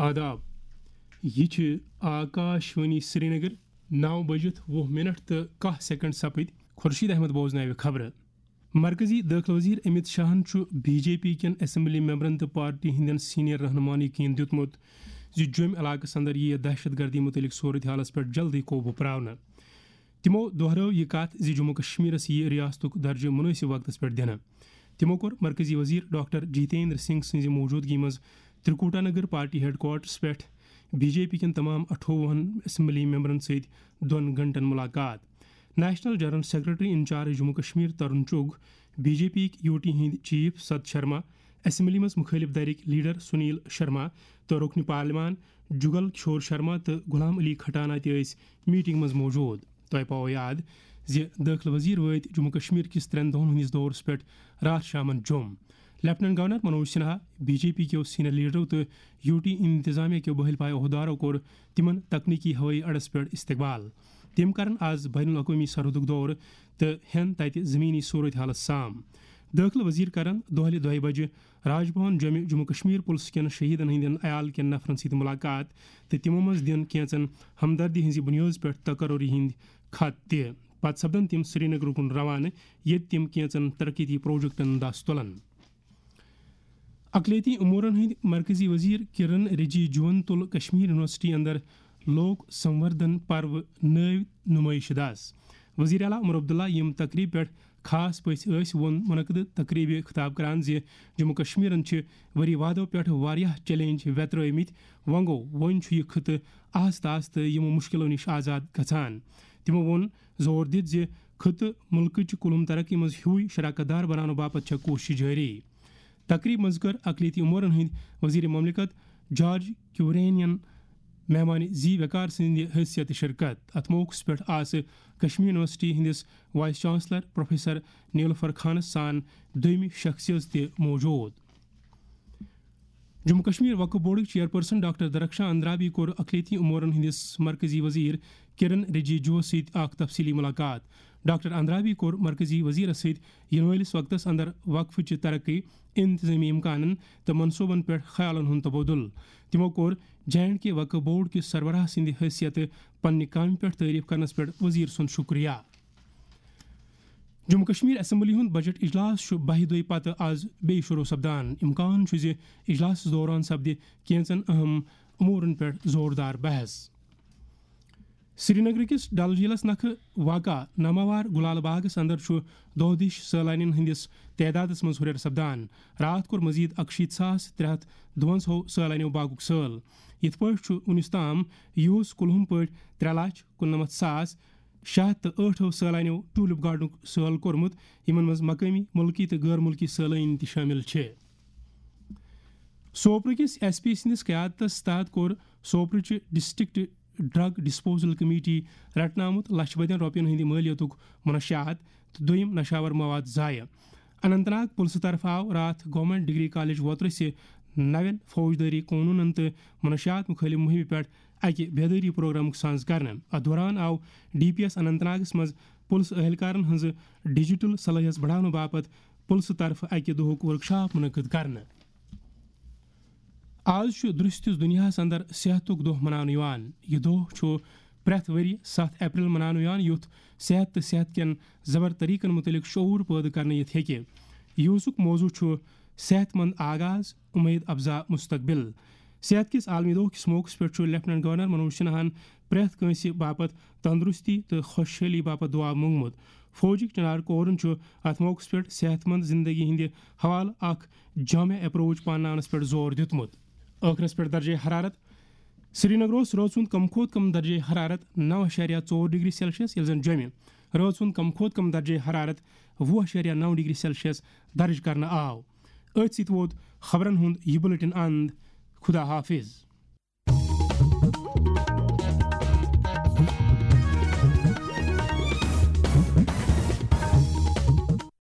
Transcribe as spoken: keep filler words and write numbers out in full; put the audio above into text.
آداب، یہِ چھِ آکاش وانی سرینگر۔ نو بجِتھ وُہ منٹ تہٕ کاہ سیکنڈ سپٕدۍ۔ خورشید احمد بوزناوِ خبرٕ۔ مرکزی دٲخلہٕ وزیر امت شاہن چھُ بی جے پی کٮ۪ن اسمبلی ممبرن تہٕ پارٹی ہٕنٛدٮ۪ن سینئر رہنماہن یقین دیُتمُت زِ جوٚمۍ علاقس اندر یِیہِ دہشت گردی متعلق صورتحالس پٮ۪ٹھ جلدی قوبوٗ پراونہٕ۔ تِمو دۄہرٲو یہِ کتھ زِ جموں کشمیرس یِیہِ ریاستُک درجہٕ مُنٲسِب وقتس پٮ۪ٹھ دِنہٕ۔ تِمو کوٚر مرکزی وزیر ڈاکٹر جتیندر سنگھ سٕنٛزِ موجودگی منٛز Trikuta Nagar party head quarters پٮ۪ٹھ بی جے پی کٮ۪ن تمام اَٹھووُہن اسمبلی ممبرن سۭتۍ دۄن گھنٹن ملاقات۔ National general secretary incharge Jammu Kashmir Tarun Chugh, B J P یُک یوٗ ٹی ہٕنٛدۍ چیف ست شرما، اسمبلی منٛز مُخٲلف دھرٕکۍ لیڈر سنیل شرما تہٕ رکن پارلیمان جگل کشور شرما تہٕ غلام علی کھٹانہ تہِ ٲسۍ میٹنگ منٛز موجود۔ تۄہہِ پاوو یاد زِ دٲخلہٕ وزیر وٲتۍ جموں کشمیر کِس ترٛٮ۪ن دۄہن ہٕنٛدِس دورس پٮ۪ٹھ راتھ شامن جوٚم۔ Lieutenant governor Manoj Sinha, B J P کیو سینئر لیڈرو تہٕ یوٗ ٹی انتظامیہ کیو بہل پایہ عہدارو کوٚر تِمن تکنیکی ہوٲیی اڈس پٮ۪ٹھ استقبال۔ تِم کرن آز بین الاقوٲمی سرحدُک دورٕ تہٕ ہٮ۪ن تتہِ زمینی صورتحالس سام۔ دٲخلہٕ وزیر کرن دۄہلہِ دۄیہِ بجہِ راج بھون جوٚمہِ جموں کشمیر پُلسہٕ کٮ۪ن شہیدن ہٕنٛدٮ۪ن عیال کٮ۪ن نفرن سۭتۍ ملاقات تہٕ تِمو منٛز دِن کینژن ہمدردی ہٕنٛزِ بُنیٲدس پٮ۪ٹھ تقرری ہٕنٛدۍ خط تہِ۔ پتہٕ سپدن تِم سرینگر کُن روانہٕ، ییٚتہِ تِم کینژن ترقیتی پروجیکٹن دس تُلن۔ اقلیتی امورن ہٕنٛدۍ مرکزی وزیر کرن رجیجوَن تُل کشمیر یونیورسٹی اندر لوک سموردھن پرو نٲوۍ نمٲیشہِ دس۔ وزیر اعلیٰ عمر عبداللہ، یِم تقریبہِ پٮ۪ٹھ خاص پٔژھۍ ٲسۍ، ووٚن منعقدٕ تقریبہِ خطاب کران زِ جموں کشمیرن چھِ ؤری وادو پٮ۪ٹھ واریاہ چیلنج ویترٲومٕتۍ، وۄنۍ گوٚو وۄنۍ چھُ یہِ خطہٕ آہستہٕ آہستہٕ یِمو مشکلو نِش آزاد گژھان۔ تِمو ووٚن زور دِتھ زِ خطہٕ مُلکٕچ کُلُم ترقی منٛز ہیوٗے شراکت دار بناونہٕ باپتھ چھےٚ کوٗشش جٲری۔ تقریب منٛز کٔر اقلیتی امورن ہٕنٛدۍ وزیر مملکت جارج کیورینین مہمان زی وقار سٕنٛدِ حیثیت شرکت۔ اتھ موقعس پٮ۪ٹھ آسہٕ کشمیر یونیورسٹی ہٕنٛدِس وائس چانسلر پروفیسر نیلوفر خانس سان دوٚیمہِ شخصیژ تہِ موجود۔ جموں کشمیر وقف بورڈٕکۍ چیئرپرسن ڈاکٹر درخشاں اندرابی کوٚر اقلیتی امورن ہٕنٛدِس مرکزی وزیر کرن رجیجوَس سۭتۍ اکھ تفصیلی ملاقات۔ ڈاکٹر اندرابی کوٚر مرکزی وزیرس سۭتۍ یِنہٕ وٲلِس وقتس اندر وقفٕچہِ ترقی، انتظٲمی امکانن تہٕ منصوبن پٮ۪ٹھ خیالن ہُنٛد تبادلہٕ۔ تِمو کوٚر جے اینڈ کے وقف بورڈ کِس سربراہ سٕنٛدِ حیثیتہٕ پننہِ کامہِ پٮ۪ٹھ تعریف کرنس پٮ۪ٹھ وزیر سُنٛد شُکریہ۔ جموں کشمیر اسمبلی ہُنٛد بجٹ اجلاس چھُ بَہہِ دۄہہِ پتہٕ آز بیٚیہِ شروع سپدان۔ امکان چھُ زِ اجلاسَس دوران سپدِ کینژن اہم امورن پٮ۪ٹھ زوردار بحث۔ سرینگر کِس ڈل جھیلس نکھٕ واقع ناماوار گلال باغس اندر چھُ دۄہ دِش سٲلانین ہٕنٛدِس تعدادس منٛز ہُرٮ۪ر سپدان۔ راتھ کوٚر مزید اکشیٖتھ ساس ترٛےٚ ہتھ دُوَنزاہو سٲلانیو باغُک سٲل۔ یِتھ پٲٹھۍ چھُ وُنیُس تام یِہُس کُلہُم پٲٹھۍ ترٛےٚ لچھ کُننَمَتھ ساس شےٚ ہتھ تہٕ ٲٹھو سٲلانیو ٹولپ گارڈنُک سٲل کوٚرمُت، یِمن منٛز مقٲمی، مُلکی تہٕ غٲر مُلکی سٲلٲنۍ تہِ شٲمِل چھِ۔ سوپرٕ کِس ایس پی سٕنٛدِس قیادتس تحت کوٚر سوپرٕچہِ ڈسٹرکٹ ڈرگ ڈسپوزل کمیٹی رٹنہٕ آمُت لچھ بٔدٮ۪ن رۄپین ہٕنٛدِ مٲلیتُک منشیات تہٕ دوٚیِم نشاور مواد ضایع۔ اننت ناگ پُلسہٕ طرفہٕ آو راتھ گورنمنٹ ڈگری کالج ووترٕسہِ نوٮ۪ن فوجدٲری قونوٗنن تہٕ منشیات مُخٲلف مُہِمہِ پٮ۪ٹھ اکہِ بیدٲری پروگرامُک سانز کرنہٕ۔ اتھ دوران آو ڈی پی ایس اننت ناگس منٛز پُلسہٕ اہلکارن ہٕنٛزٕ ڈیجیٹل صلٲحیژ بڑاونہٕ باپتھ پُلسہٕ طرفہٕ اکہِ دۄہُک ورکشاپ منعقد کرنہٕ۔ آز چھُ درستِس دُنیاہَس اندر صحتُک دۄہ مناونہٕ یِوان۔ یہِ دۄہ چھُ پرٛٮ۪تھ ؤرۍ ستھ اپریل مناونہٕ یِوان، یُتھ صحت تہٕ صحت کٮ۪ن زبر طریقن مُتعلق شعور پٲدٕ کرنہٕ یِتھ ہیٚکہِ۔ یِہُسُک موضوع چھُ صحت مند آغاز، اُمید افزا مستقبل۔ صحت کِس عالمی دۄہ کِس موقعس پٮ۪ٹھ چھُ لیفٹیننٹ گورنر منوج سنہاہن پرٛٮ۪تھ کٲنٛسہِ باپتھ تندرستی تہٕ خۄشحٲلی باپتھ دُعا مونگمُت۔ فوجٕکۍ چنار کورن چھُ اتھ موقعس پٮ۪ٹھ صحت مند زندگی ہٕنٛدِ حوالہٕ اکھ جامع اپروچ پانناونس پٮ۪ٹھ زور دیُتمُت۔ ٲخرس پٮ۪ٹھ درجہ حرارت۔ سرینگر اوس رٲژ ہُنٛد کم کھۄتہٕ کم درجہ حرارت نو اعشاریہ ژور ڈگری سیلسیس، ییٚلہِ زن جوٚمہِ رٲژ ہُنٛد کم کھۄتہٕ کم درجہ حرارت وُہ اعشاریہ نو ڈگری سیلسیس درج کرنہٕ آو۔ أتھۍ سۭتۍ ووت خبرن ہُنٛد یہِ بُلٹن اند۔ خدا حافظ۔